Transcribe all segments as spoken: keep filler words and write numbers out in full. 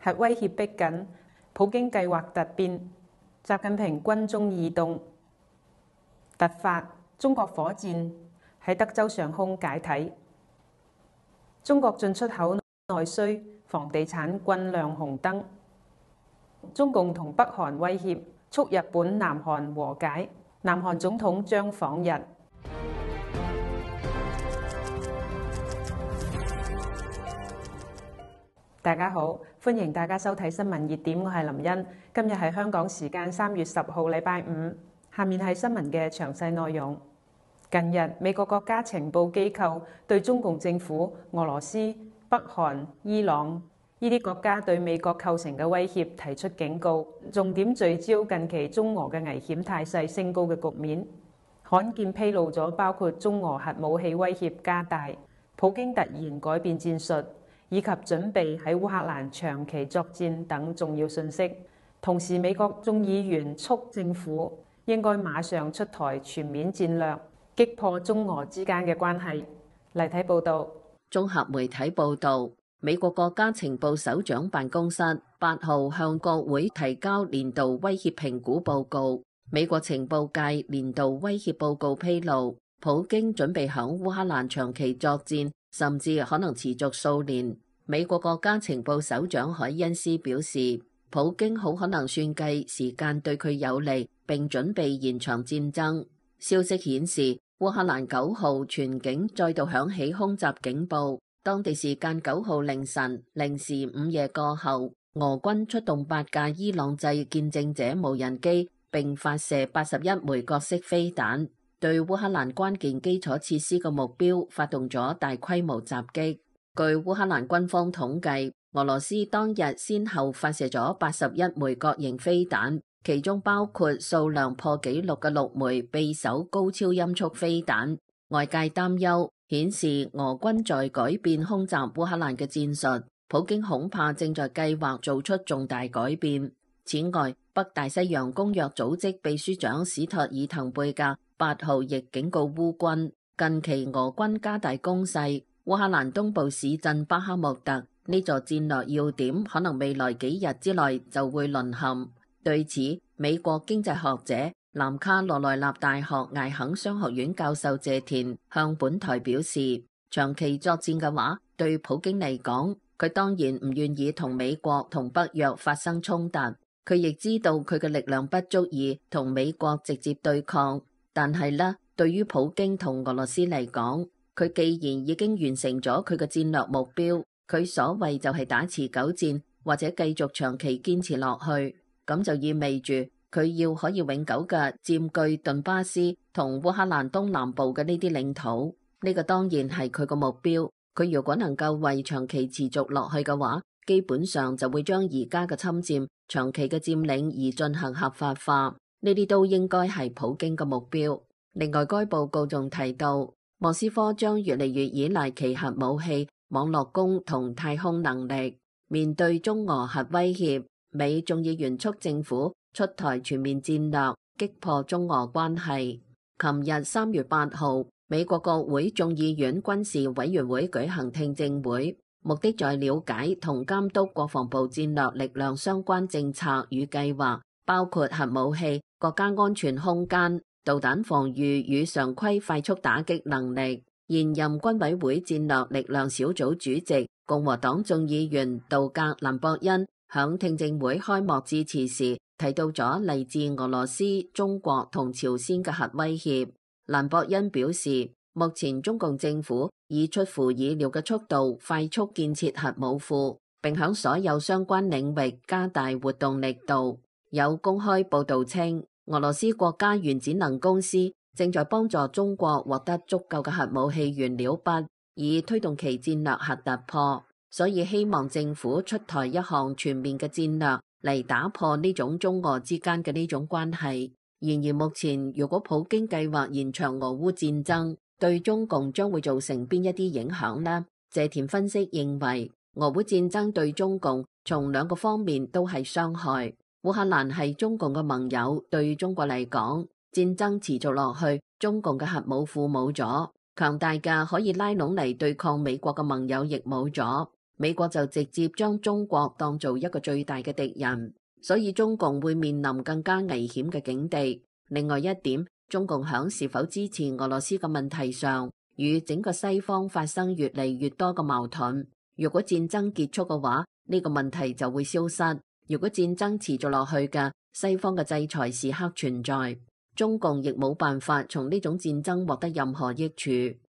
核威脅逼緊，普京計劃突變，習近平軍中異動突發，中國火箭喺德州上空解體，中國進出口內需，房地產均亮紅燈，中共同北韓威脅，促日本南韓和解，南韓總統將訪日。大家好，歡迎大家收睇新聞熱點，我係林茵。今日係香港時間三月十號，禮拜五。下面係新聞嘅詳細內容。近日，美國國家情報機構對中共政府、俄羅斯、北韓、伊朗呢啲國家對美國構成嘅威脅提出警告，重點聚焦近期中俄嘅危險態勢升高嘅局面。罕見披露咗包括中俄核武器威脅加大、普京突然改變戰術，以及準備喺烏克蘭長期作戰等重要信息。同時，美國眾議員促政府應該馬上出台全面戰略，擊破中俄之間嘅關係。嚟睇報導。綜合媒體報導，美國國家情報首長辦公室八號向國會提交年度威脅評估報告。美國情報界年度威脅報告披露，普京準備響烏克蘭長期作戰，甚至可能持續數年。美國國家情報首長海恩斯表示，普京好可能算計時間對佢有利，並準備延長戰爭。消息顯示，烏克蘭九號全境再度響起空襲警報。當地時間九號凌晨零時午夜過後，俄軍出動八架伊朗製見證者無人機，並發射八十一枚各式飛彈，對烏克蘭關鍵基礎設施嘅目標發動咗大規模襲擊。據烏克蘭軍方統計，俄羅斯當日先後發射咗八十一枚各型飛彈，其中包括數量破紀錄嘅六枚匕首高超音速飛彈。外界擔憂顯示俄軍在改變空襲烏克蘭嘅戰術，普京恐怕正在計劃做出重大改變。此外，北大西洋公約組織秘書長史托爾滕貝格八號亦警告烏軍，近期俄軍加大攻勢，烏克蘭東部市鎮巴克穆特呢座戰略要點可能未來幾日之內就會淪陷。對此，美國經濟學者南卡羅來納大學艾肯商學院教授謝田向本台表示，長期作戰嘅話，對普京嚟講，佢當然唔願意同美國同北約發生衝突。佢亦知道佢嘅力量不足以同美國直接對抗，但係呢，對於普京同俄羅斯嚟講，佢既然已經完成咗佢嘅戰略目標，佢所謂就係打持久戰或者繼續長期堅持落去，咁就意味住佢要可以永久嘅佔據頓巴斯同烏克蘭東南部嘅呢啲領土。呢個當然係佢個目標。佢如果能夠為長期持續落去嘅話，基本上就會將而家嘅侵佔、長期嘅佔領而進行合法化。呢啲都應該係普京嘅目標。另外，該報告仲提到，莫斯科將越嚟越依賴其核武器、網絡攻同太空能力。面對中俄核威脅，美眾議員促政府出台全面戰略，擊破中俄關係。琴日三月八號，美國國會眾議院軍事委員會舉行聽證會，目的在了解同監督國防部戰略力量相關政策與計劃，包括核武器、國家安全空間、導彈防禦與常規快速打擊能力。現任軍委會戰略力量小組主席共和黨眾議員杜格蘭博恩響聽證會開幕致辭時提到咗嚟自俄羅斯、中國同朝鮮嘅核威脅。蘭博恩表示，目前中共政府以出乎意料嘅速度快速建設核武庫，並響所有相關領域加大活動力度。有公開報道稱，俄羅斯國家原子能公司正在幫助中國獲得足夠嘅核武器原料筆，以推動其戰略核突破。所以希望政府出台一項全面嘅戰略嚟打破呢種中俄之間嘅呢種關係。然而目前，如果普京計劃延長俄烏戰爭，對中共將會造成邊一啲影響呢？謝田分析認為，俄烏戰爭對中共從兩個方面都係傷害。烏克蘭係中共嘅盟友，對中國嚟講，戰爭持續落去，中共嘅核武庫冇咗，強大嘅可以拉攏嚟對抗美國嘅盟友亦冇咗。美國就直接將中國當做一個最大嘅敵人，所以中共會面臨更加危險嘅境地。另外一點，中共響是否支持俄羅斯嘅問題上，與整個西方發生越嚟越多嘅矛盾。如果戰爭結束嘅話，呢個問題就會消失；如果戰爭持續落去嘅，西方嘅制裁時刻存在，中共亦冇辦法從呢種戰爭獲得任何益處。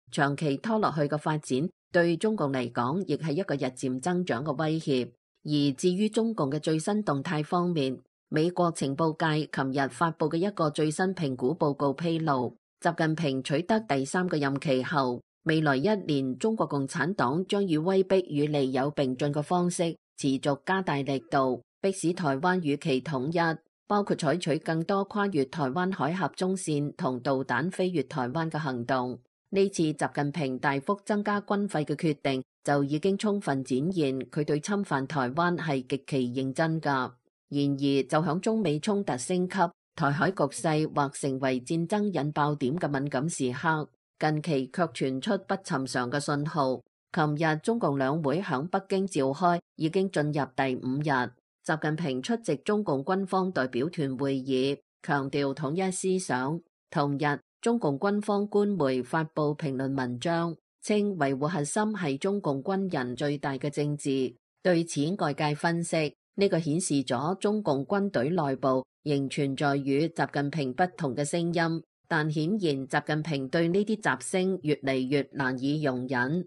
長期拖落去嘅發展，對中共嚟講，亦係一個日漸增長嘅威脅。而至於中共嘅最新動態方面，美國情報界琴日發佈嘅一個最新評估報告披露，習近平取得第三個任期後，未來一年中國共產黨將以威逼與利誘並進嘅方式，持續加大力度，迫使台灣與其統一，包括採取更多跨越台灣海峽中線同導彈飛越台灣嘅行動。呢次習近平大幅增加軍費嘅決定，就已經充分展現佢對侵犯台灣係極其認真㗎。然而，就響中美衝突升級、台海局勢或成為戰爭引爆點嘅敏感時刻，近期卻傳出不尋常嘅信號。琴日中共兩會響北京召開，已經進入第五日。習近平出席中共軍方代表團會議，強調統一思想。同日，中共軍方官媒發布評論文章，稱維護核心係中共軍人最大嘅政治。對此，外界分析，呢個顯示咗中共軍隊內部仍存在與習近平不同嘅聲音，但顯然習近平對呢啲雜聲越嚟越難以容忍。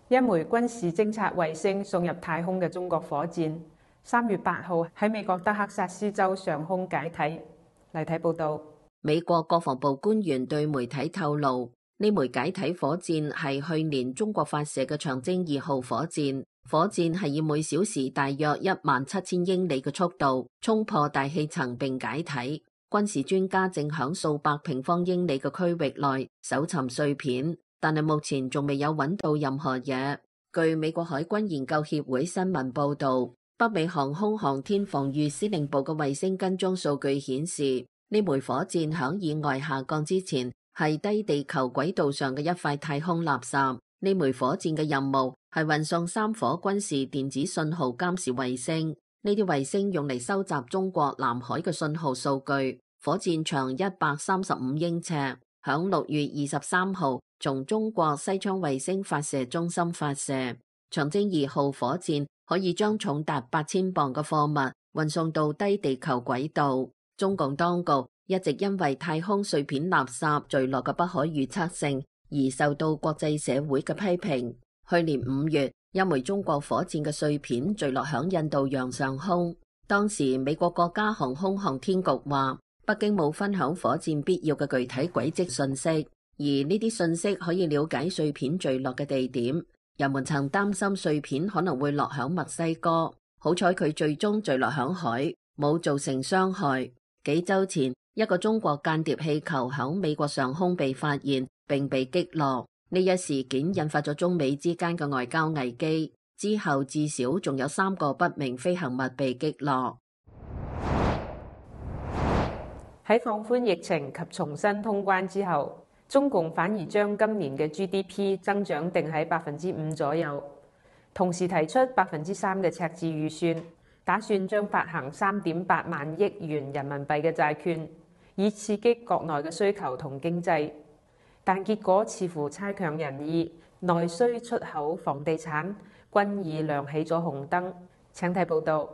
一枚軍事偵察衛星送入太空嘅中國火箭，三月八號喺美國德克薩斯州上空解體。嚟睇報道，美國國防部官員對媒體透露，呢枚解體火箭係去年中國發射嘅長征二號火箭。火箭係以每小時大約一萬七千英里嘅速度衝破大氣層並解體。軍事專家正響數百平方英里嘅區域內搜尋碎片，但係目前仲未有揾到任何嘢。據美國海軍研究協會新聞報道，北美航空航天防禦司令部嘅衛星跟蹤數據顯示，呢枚火箭響意外下降之前係低地球軌道上嘅一塊太空垃圾。呢枚火箭嘅任務係運送三顆軍事電子信號監視衛星，呢啲衛星用嚟收集中國南海嘅信號數據。火箭長一百三十五英尺，響六月二十三號從中國西昌衛星發射中心發射。長征二號火箭可以將重達八千磅嘅貨物運送到低地球軌道。中共當局一直因為太空碎片垃圾墜落嘅不可預測性而受到國際社會嘅批評。去年五月，一枚中國火箭嘅碎片墜落響印度洋上空。當時美國國家航空航天局話，北京冇分享火箭必要嘅具體軌跡信息，而呢啲信息可以了解碎片墜落嘅地點。人們曾擔心碎片可能會落響墨西哥，好彩佢最終墜落響海，冇造成傷害。幾周前，一個中國間諜氣球響美國上空被發現並被擊落，呢一事件引發咗中美之間嘅外交危機。之後至少仲有三個不明飛行物被擊落。喺放寬疫情及重新通關之後，中共反而將今年嘅 G D P 增長定喺百分之五左右，同時提出百分之三嘅赤字預算，打算將發行三點八萬億元人民幣嘅債券，以刺激國內嘅需求同經濟。但結果似乎差強人意，內需、出口、房地產均已亮起咗紅燈。請睇報道。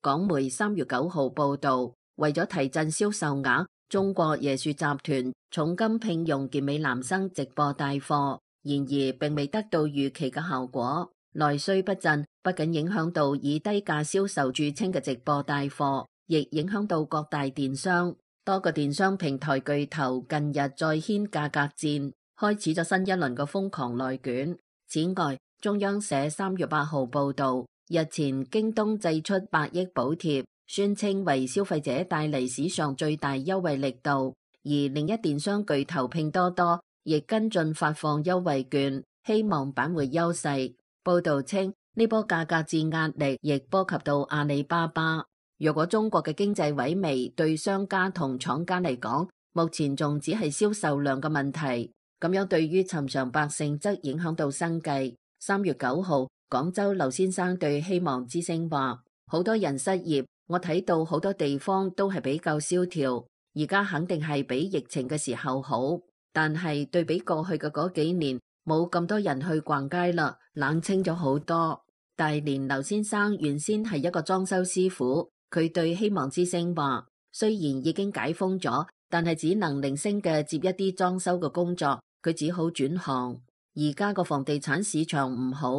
港媒三月九號報導，為咗提振銷售額，中國椰樹集團重金聘用健美男生直播帶貨，然而並未得到預期嘅效果。內需不振，不僅影響到以低價銷售著稱嘅直播帶貨，亦影響到各大電商。多個電商平台巨頭近日再掀價格戰，開始咗新一輪嘅瘋狂內卷。此外，中央社三月八號報導，日前京東祭出百億補貼，宣稱為消費者帶嚟史上最大優惠力度。而另一電商巨頭拼多多亦跟進發放優惠券，希望扳回優勢。報導稱，呢波價格戰壓力亦波及到阿里巴巴。若果中國嘅經濟萎靡對商家同廠家嚟講，目前仲只係銷售量嘅問題，咁樣對於尋常百姓則影響到生計。三月九號，廣州劉先生對希望之聲話：好多人失業，我睇到好多地方都係比較蕭條，而家肯定係比疫情嘅時候好，但係對比過去嘅嗰幾年，冇咁多人去逛街啦，冷清咗好多。大連劉先生原先係一個裝修師傅，佢對希望之聲話：雖然已經解封咗，但係只能零星嘅接一啲裝修嘅工作，佢只好轉行。而家個房地產市場唔好，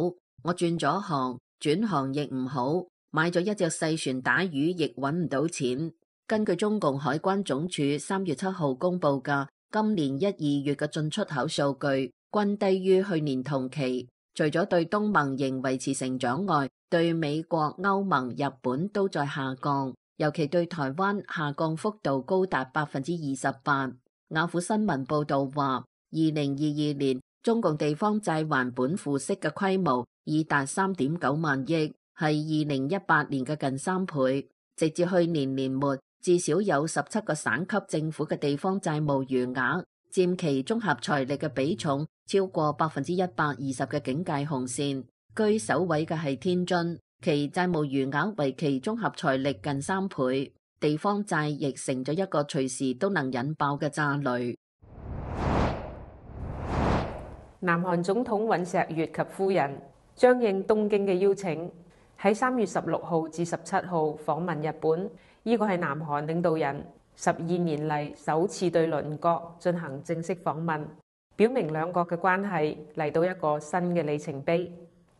我轉咗行，轉行亦唔好，買咗一隻細船打魚亦揾唔到錢。根據中共海關總署三月七號公布嘅今年一二月嘅進出口數據，均低於去年同期。除咗對東盟仍維持成長外，對美國、歐盟、日本都在下降，尤其對台灣下降幅度高達百分之二十八。雅虎新聞報道話，二零二二年中共地方債還本付息嘅規模已達三點九萬億，係二零一八年嘅近三倍。直至去年年末，至少有十七個省級政府嘅地方債務餘額佔其綜合財力嘅比重超過百分之一百二十嘅警戒紅線，居首位嘅係天津，其債務餘額為其綜合財力近三倍，地方債亦成咗一個隨時都能引爆嘅炸雷。南韓總統尹錫悅及夫人將應東京嘅邀請，喺三月十六號至十七號訪問日本。呢個係南韓領導人十二年嚟首次對鄰國進行正式訪問，表明兩國嘅關係嚟到一個新嘅里程碑。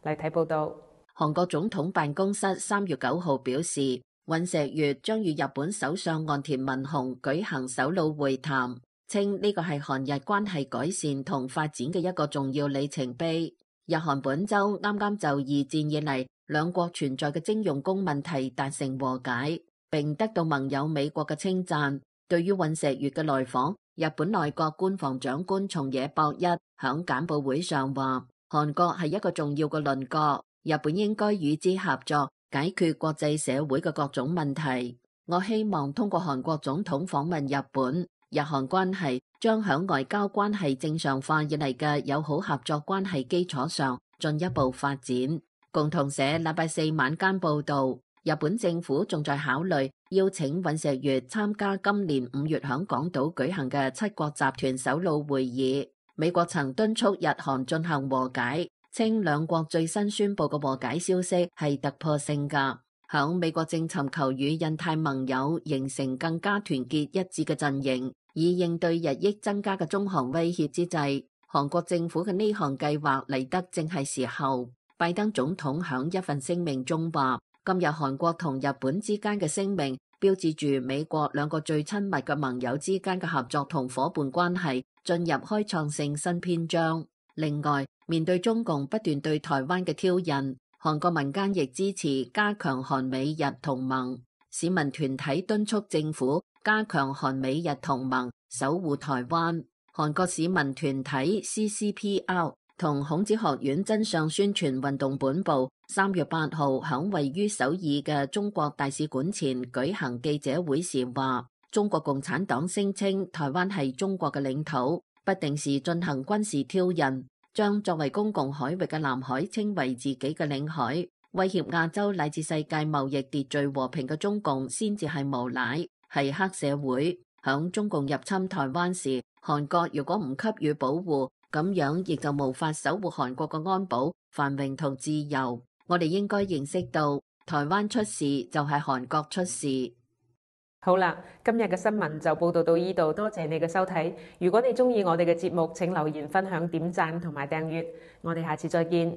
嚟睇報道。韓國總統辦公室三月九號表示，尹錫悅將與日本首相岸田文雄舉行首腦會談，稱呢個係韓日關係改善同發展嘅一個重要里程碑。日韓本周啱啱就二戰以嚟兩國存在嘅徵用工問題達成和解，並得到盟友美國嘅稱讚。對於尹錫悅嘅來訪，日本內閣官房長官松野博一響簡報會上話，韓國係一個重要嘅鄰國，日本應該與之合作，解決國際社會嘅各種問題。我希望通過韓國總統訪問日本，日韓關係將響外交關係正常化以嚟嘅友好合作關係基礎上進一步發展。共同社禮拜四晚間報道，日本政府仲在考慮邀請尹錫悅參加今年五月響港島舉行嘅七國集團首腦會議。美國曾敦促日韓進行和解，稱兩國最新宣布嘅和解消息係突破性㗎。響美國正尋求與印太盟友形成更加團結一致嘅陣營，以應對日益增加嘅中韓威脅之際，韓國政府嘅呢項計劃嚟得正係時候。拜登總統響一份聲明中話，今日韓國同日本之間嘅聲明標誌住美國兩個最親密嘅盟友之間嘅合作同夥伴關係進入開創性新篇章。另外，面對中共不斷對台灣嘅挑釁，韓國民間亦支持加強韓美日同盟。市民團體敦促政府加強韓美日同盟，守護台灣。韓國市民團體 C C P R 同孔子學院真相宣傳運動本部三月八號響位於首爾嘅中國大使館前舉行記者會時話，中國共產黨聲稱台灣係中國嘅領土，不定時進行軍事挑釁，將作為公共海域嘅南海稱為自己嘅領海，威脅亞洲乃至世界貿易秩序和平嘅中共先至係無賴，係黑社會。響中共入侵台灣時，韓國如果唔給予保護，咁樣亦就無法守護韓國嘅安保、繁榮同自由。我哋應該認識到，台灣出事就係韓國出事。好啦，今日嘅新聞就報道到呢度，多謝你嘅收睇。如果你中意我哋嘅節目，請留言、分享、點讚同埋訂閱。我哋下次再見。